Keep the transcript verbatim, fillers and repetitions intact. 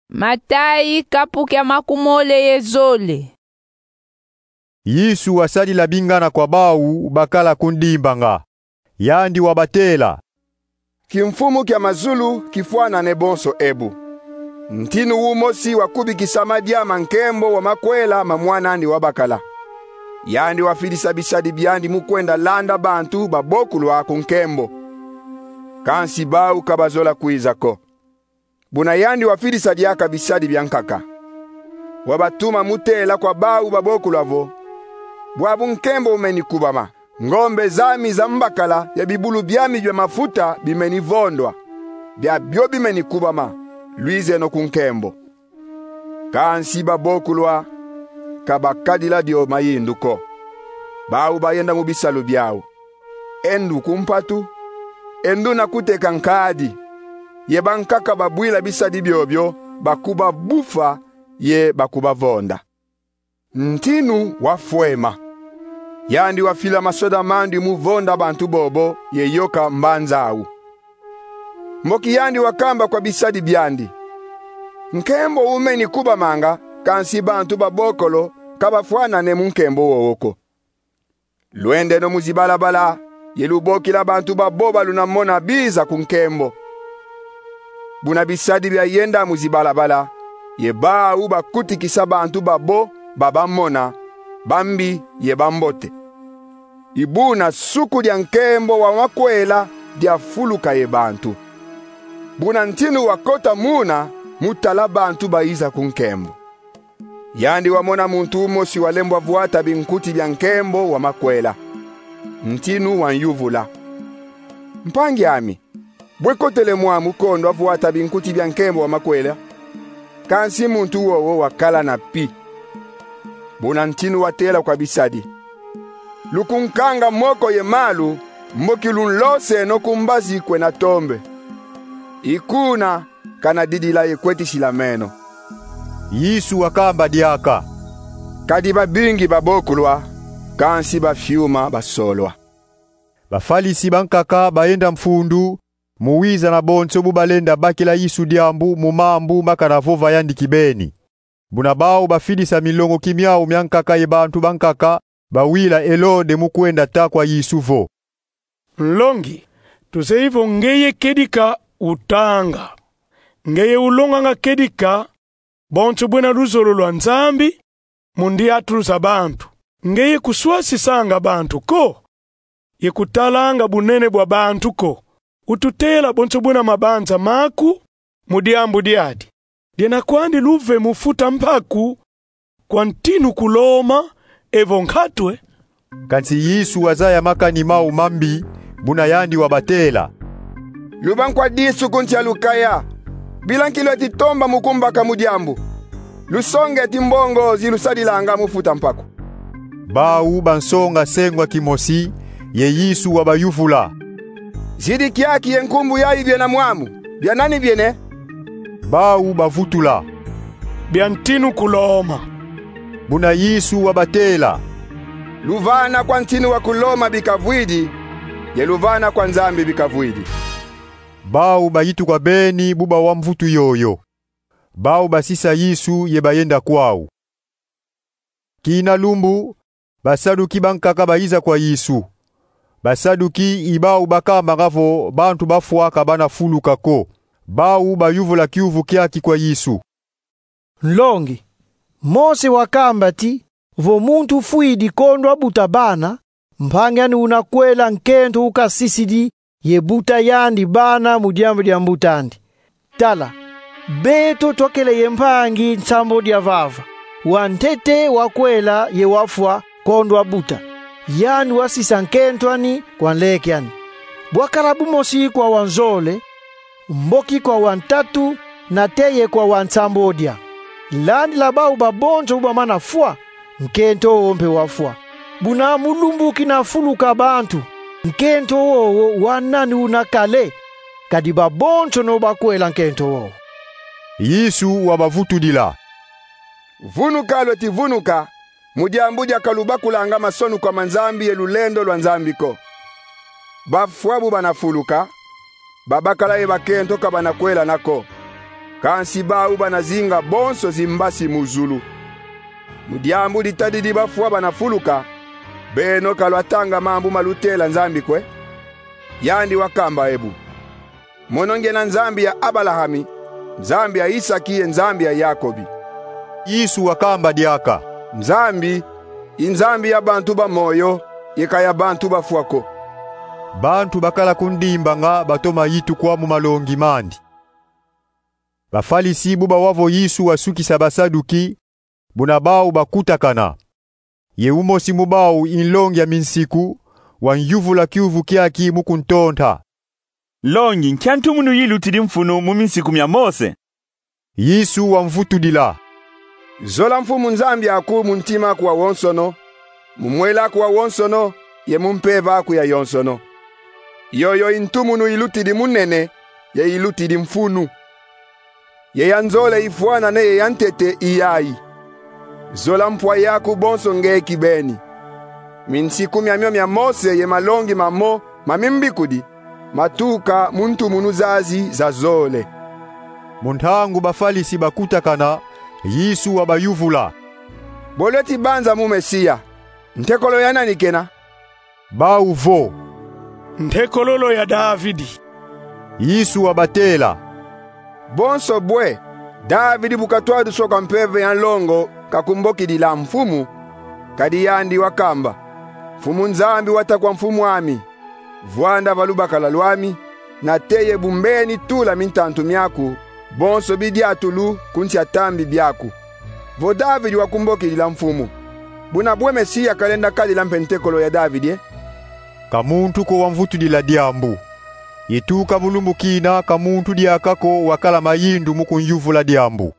Matayi, kapu kia makumole ye zole. Yesu wasadila bingana kwa bau bakala kundimbanga. Yandi wabatela: Kimfumu kia mazulu kifwanane bonso ebu. Ntinu umosi wakubikisama diaka nkembo wa makwela ma mwan'andi wabakala. Yandi wafidisa bisadi biandi mu kwenda landa bantu babokulwa ku nkembo. Kansi bau ka bazola kwiza ko. Buna yandi wafidisa diaka bisadi biankaka, wabatuma mu tela kwa bau babokulwa vo: Bwabu nkembo umeni kubama. Ngombe zami za mbakala ye bibulu biami bia mafuta bimeni vondwa. Biabio bimeni kubama. Lwizeno ku nkembo. Kansi babokulwa ka bakadila dio mayindu ko. Bau bayenda mu bisalu biau, e ndu ku mpatu, e nduna kuteka nkadi. Ye bankaka babwila bisadi biobio bakubabufa ye bakubavonda. Ntinu wafwema. Yandi wafila masoda mandi mu vonda bantu bobo ye yoka mbanza au. Mboki yandi wakamba kwa bisadi biandi: Nkembo umeni kubamanga, kansi bantu babokolo ka bafwanane mu nkembo wowo ko. Lwendeno mu zibalabala ye lubokila bantu babo ba lunamona biza ku nkembo. Buna bisadi biayenda mu zibalabala, ye bau bakutikisa bantu babo babamona, bambi ye bambote. I buna suku dia nkembo wa makwela diafuluka ye bantu. Buna ntinu wakota muna mu tala bantu bayiza ku nkembo. Yandi wamona muntu umosi walembwa vwata binkuti bia nkembo wa makwela. Ntinu wanyuvula: Mpangi ami, bwe kotele mwamu kondwa vwata binkuti bia nkembo wa makwela? Kansi muntu wowo wakala na pi. Buna ntinu watela kwa bisadi: Lukunkanga moko ye malu, mboki lunloseno ku mbazi kwenda tombe. I kuna kana didila ye kwetisila meno. Yesu wakamba diaka: Kadi babingi babokulwa, kansi bafiuma basolwa. Bafalisi bankaka bayenda mfundu mu wiza na bonso bu balenda bakila Yesu diambu mu mambu ma kana vova yandi kibeni. Buna bau bafidisa milongoki miau miankaka ye bantu bankaka bawila Elode mu kwenda ta kwa Yesu vo: Nlongi, tuzeyi vo ngeye kedika utanga. Ngeye ulonganga kedika bonso bwena luzolo lwa Nzambi mu ndiatulu za bantu. Ngeye kuswasisanga bantu ko, ye kutalanga bunene bwa bantu ko. Ututela bonso bwena mabanza maku mu diambu diadi. Diena kwandi luve mu futa mpaku kwa ntinu kuloma evo nkatwe? Kansi Yesu wazaya makani mau mambi, buna yandi wabatela: Luba nkwa disu ku nsi a lukaya. Bila nki lweti tomba mu kumbaka mu diambu. Lusonge ti mbongo zi lusadilanga mu futa mpaku. Bau bansonga sengwa kimosi, ye Yesu wabayuvula: Zidi kiaki ye nkumbu yai biena mwamu. Bia nani biena? Bau bavutula: Bia ntinu kuloma. Buna Yesu wabatela: Luvana kwa ntinu wa kuloma bikavwidi, ye luvana kwa Nzambi bikavwidi. Bau bayituka beni bu bawa mvutu yoyo. Bau basisa Yesu ye bayenda kwau. Kina lumbu, Basaduki bankaka bayiza kwa Yesu. Basaduki i bau bakambanga vo bantu bafwa ka bana fuluka ko. Bau bayuvula kiuvu kiaki kwa Yesu: Nlongi, Mose wakamba ti vo muntu fwidi kondwa buta bana, mpangi andi una kwela nkento ukasisidi ye buta yandi bana mu diambu dia mbut'andi. Tala, beto twakele ye mpangi nsambodia vava, wa ntete wakwela ye wafwa kondwa buta. Yandi wasisa nkento ani kwa nleke ani. Bwakala bumosi kwa wa nzole, mboki kwa wa ntatu, nate ye kwa wa nsambodia. Landila bau babonso bu bamana fwa, nkento wowo mpe wafwa. Buna mu lumbu kina fuluka bantu, nkento wowo wa nani una kale? Kadi babonsono bakwela nkento wowo. Yesu wabavutudila: Vunuka lweti vunuka, mu diambu dia ka lubakulanga masonu kwa ma Nzambi ye lulendo lwa Nzambi ko. Bafwa bu bana fuluka, babakala ye bakento ka bana kwelana ko. Kansi bau bana zinga bonso zimbasi mu zulu. Mu diambu ditadidi bafwa bana fuluka, beno ka lwatanga mambu ma lutela Nzambi kwe? Yandi wakamba ebu: Mono ngiena Nzambi ya Abalahami, Nzambi ya Isaki ye Nzambi ya Yakobi. Yesu wakamba diaka: Nzambi i Nzambi ya bantu ba moyo, ye ka ya bantu bafwa ko. Bantu bakala kundimbanga batoma yitukwa mu malongi mandi. Bafalisi bu bawa vo Yesu wasukisa Basaduki, buna bau bakutakana. Ye umosi mu bau i nlongi ya minsiku, wanyuvula kiuvu kiaki mu kuntonta: Nlongi, nkia ntumunu yilutidi mfunu mu minsiku mia Mose? Yesu wamvutudila: Zola Mfumu Nzambi aku mu ntima aku wawonsono, mu mwela aku wawonsono, ye mu mpeve aku yayonsono. Yoyo i ntumunu yilutidi mu nene, ye yilutidi mfunu. Ye ya nzole ifwanane ye ya ntete i yayi: Zola mpwa yaku bonso nge kibeni. Minsiku miamio mia Mose ye malongi mamo ma mimbikudi matuka mu ntumunu zazi za zole. Mu ntangu Bafalisi bakutakana, Yesu wabayuvula: Bo lweti banza mu Mesiya, ntekolo ya nani kena? Bau vo: Ntekolo lo ya Davidi. Yesu wabatela: Bonso bwe, Davidi bu katwaduswa kwa mpeve ya nlongo kakumbokidila Mfumu? Kadi yandi wakamba: Mfumu Nzambi wata kwa Mfumu ami: Vwanda va lubakala lwami, nate ye bu mbeni tula mintantu miaku, bonso bidiatulu ku nsi a tambi biaku. Vo Davidi wakumbokidila Mfumu, buna bwe Mesiya kalenda kadila mpe ntekolo ya Davidi e? Ka muntu ko wamvutudila diambu. Ye tuka mu lumbu kina ka muntu diaka ko wakala mayindu mu kunyuvula diambu.